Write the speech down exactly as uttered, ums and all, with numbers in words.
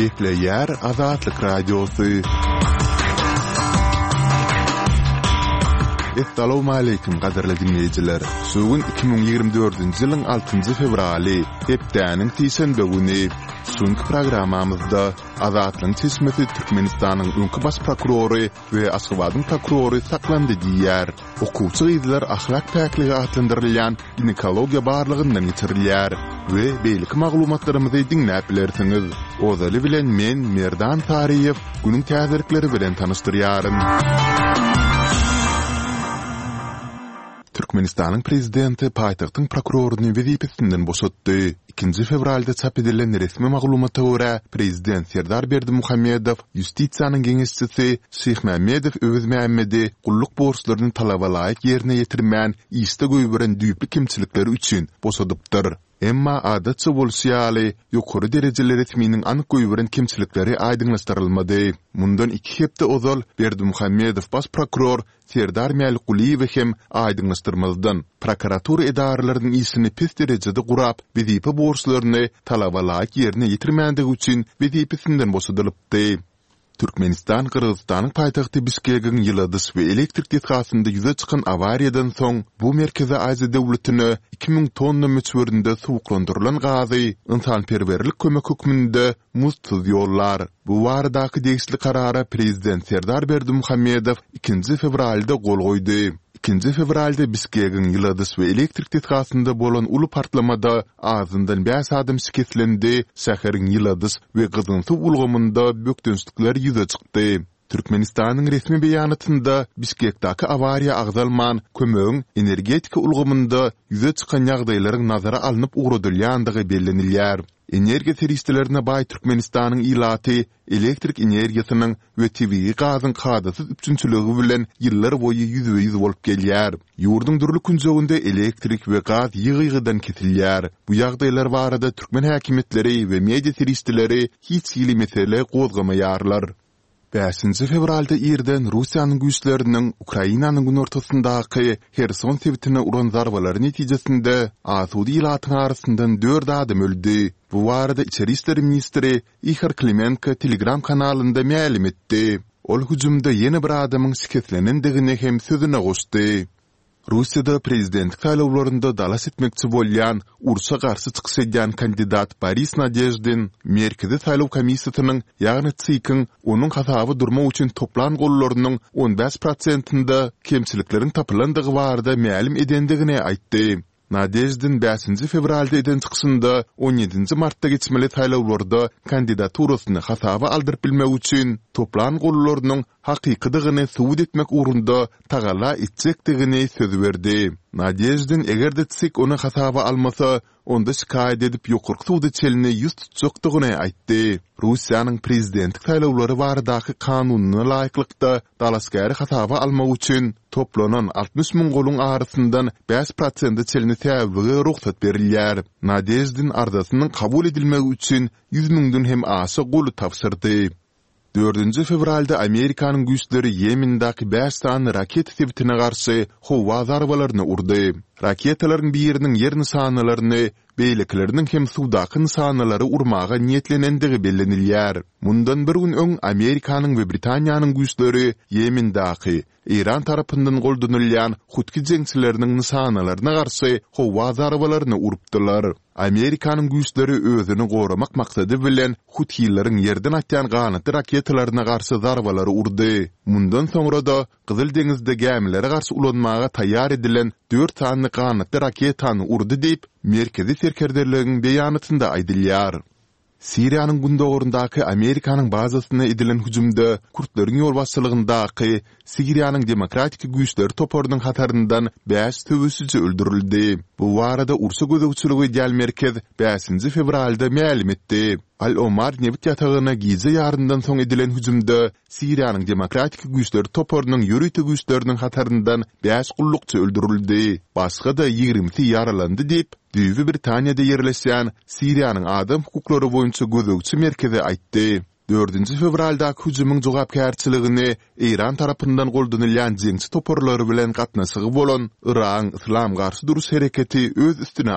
Gepleýär Azatlyk Radiosy. Essalawmaleýkim gadyrly diňleýjiler! Şu gün iki müň ýigrimi dördünji ýylyň altynjy fewraly, hepdäniň sişenbe güni. Şu günki programmamyzda Azatlygyň çeşmesi Türkmenistanyň öňki baş prokurory we Aşgabadyň prokurory saklandy diýýär. Okuwçy gyzlar ahlak päkligi atlandyrylýan ginekologiýa barlagyndan geçirilýär we beýleki maglumatlarymyzy diňläp bilersiňiz. Ozaly bilen men, Merdan Saryýew, günüň täzelikleri bilen tanyşdyrýaryn. Türkmenistanyň prezidenti paýtagtyň prokuroryny wezipesinden boşatdy. Ikinji fewralda çap edilen resmi maglumata görä, prezident Serdar Berdimuhamedow ýustisiýanyň geňeşçisi Şyhmämmedow Öwezmämmedi gulluk borçlaryny talaba laýyk ýerine ýetirmän, işde goýberen düýpli kemçilikleri üçin boşadypdyr. Emma, adatça bolşy ýaly, ýokary derejeli resminiň anyk goýberen kemçilikleri aýdyňlaşdyrylmady. Mundan iki hepde ozal Berdimuhamedow baş prokuror Serdar Mälikgulyýewi hem aýdyňlaşdyrmazdan, prokuratura edaralarynyň işini pes derejede gurap, wezipe borçlaryny talaba laýyk ýerine ýetirmändigi üçin wezipesinden boşadylypdy. Türkmenistan Gyrgyzystanyň paýtagty Bişkegiň ýyladyş we elektrik desgasynda ýüze çykan awariýadan soň bu Merkezi Aziýa döwletine iki müň tonna möçberinde suwuklandyrylan gazy ynsanperwerlik kömek hökmünde muzdsuz ýollar. Bu baradaky degişli karara prezident Serdar Berdimuhamedow ikinji fewralda gol goýdy. Ikinji fewralda Bişkegiň ýyladyş we elektrik desgasynda bolan uly partlamada azyndan bäş adam şikeslendi, şäheriň ýyladyş we gyzgyn suw ulgamynda bökdençlikler ýüze çykdy. Türkmenistanyň resmi beýanatynda Bişkekdäki awariýa agzalman, kömegiň energetika ulgamynda ýüze çykan ýagdaýlaryň nazara alnyp ugradylýandygy bellenilýär. Energiýa serişdelerine baý Türkmenistanyň ilaty elektrik energiýasynyň we tebigy gazyň kadasyz üpjünçiligi bilen ýyllar boýy ýüzbe-ýüz bolup gelýär. Ýurduň dürli künjeginde elektrik we gaz ýygy-ýygydan kesilýär. Bu ýagdaýlar barada türkmen häkimiýetleri we media serişdeleri hiç hili mesele gozgamaýarlar. Bäşinji fewralda irden Russiýanyň güýçleriniň Ukrainanyň günortasyndaky Herson sebitine uran zarbalary netijesinde asuda ilatyň arasyndan dört adam öldi. Bu barada içeri işler ministri Ihor Klimenko Telegram kanalynda mälim etdi. Ol hüjümde ýene bir adamyň şikeslenendigini hem sözüne goşdy. Russiýada prezidentlik saýlawlarynda dalaş etmekçi bolýan, urşa garşy çykyş edýän kandidat Boris Nadeždin Merkezi saýlaw komissiýasynyň, ýagny TSIK-iň onuň hasaba durmak üçin toplan gollarynyň on bäş prosentinde kemçilikleriň tapylandygy barada mälim edendigini aýtdy. Nadeždin bäşinji fewralda eden çykyşynda on ýedinji martda geçmeli saýlawlarda kandidaturasyny hasaba aldyryp bilmek üçin toplan gollarynyň hakykydygyny subut etmek ugrunda tagalla etjekdigini söz berdi. Nadeždin eger-de TSIK ony hasaba almasa, onda şikaýat edip ýokarky suda çenli ýüz tutjakdygyny aýtdy. Russiýanyň prezidentlik saýlawlary baradaky kanunyna laýyklykda, dalaşgäri hasaba almak üçin toplanan altmyş müň goluň arasyndan bäş prosente çenli säwlige rugsat berilýär. Nadeždin arzasynyň kabul edilmegi üçin ýüz müňden hem aşa goly tabşyrdy. Dördünji fewralda Amerikanyň güýçleri Ýemendäki bäş sany raketa sebitine garşy howa zarbalaryny urdy. Raketalaryň biriniň ýer nyşanalaryny, beýlekileriniň hem suwdaky nyşanalary urmaga niýetlenendigi bellenilýär. Mundan bir gün öň Amerikanyň we Britaniýanyň güýçleri Ýemendäki, Eýran tarapyndan goldanylýan hutki jeňçileriniň nyşanalaryna garşy howa zarbalaryny urupdylar. Amerikanyň güýçleri özüni goramak maksady bilen huthileriň ýerden atýan ganatly raketalaryna garşy zarbalary urdy. Mundan soňra-da Gyzyl deňizde gämilere garşy ulanmaga taýýar edilen dört sany ganatly raketany urdy diýip, Merkezi serkerdeligiň beýanatynda aýdylýar. Siriýanyň gündogaryndaky Amerikanyň bazasyna edilen hüjümde kürtleriň ýolbaşçylygyndaky Siriýanyň Demokratik güýçleri toparynyň hataryndan bäş söweşiji öldürildi. Bu barada urşa gözegçilik edýän merkez bäşinji fewralda mälim etdi. Al-Omar nebit ýatagyna gije ýaryndan soň edilen hüjümde Siriýanyň Demokratik güýçleri toparynyň ýörite güýçleriniň hataryndan bäş gullukçy öldürildi, başga-da ýigrimisi ýaralandy diýip, düýbi Britaniýada ýerleşýän Siriýanyň adam hukuklary boýunça gözegçi merkezi aýtdy. Dördünji fewraldaky hüjümiň jogapkärçiligini Eýran tarapyndan goldanylýan jeňçi toparlary bilen gatnaşygy bolan Yragyň Yslam garşy duruş hereketi öz üstüne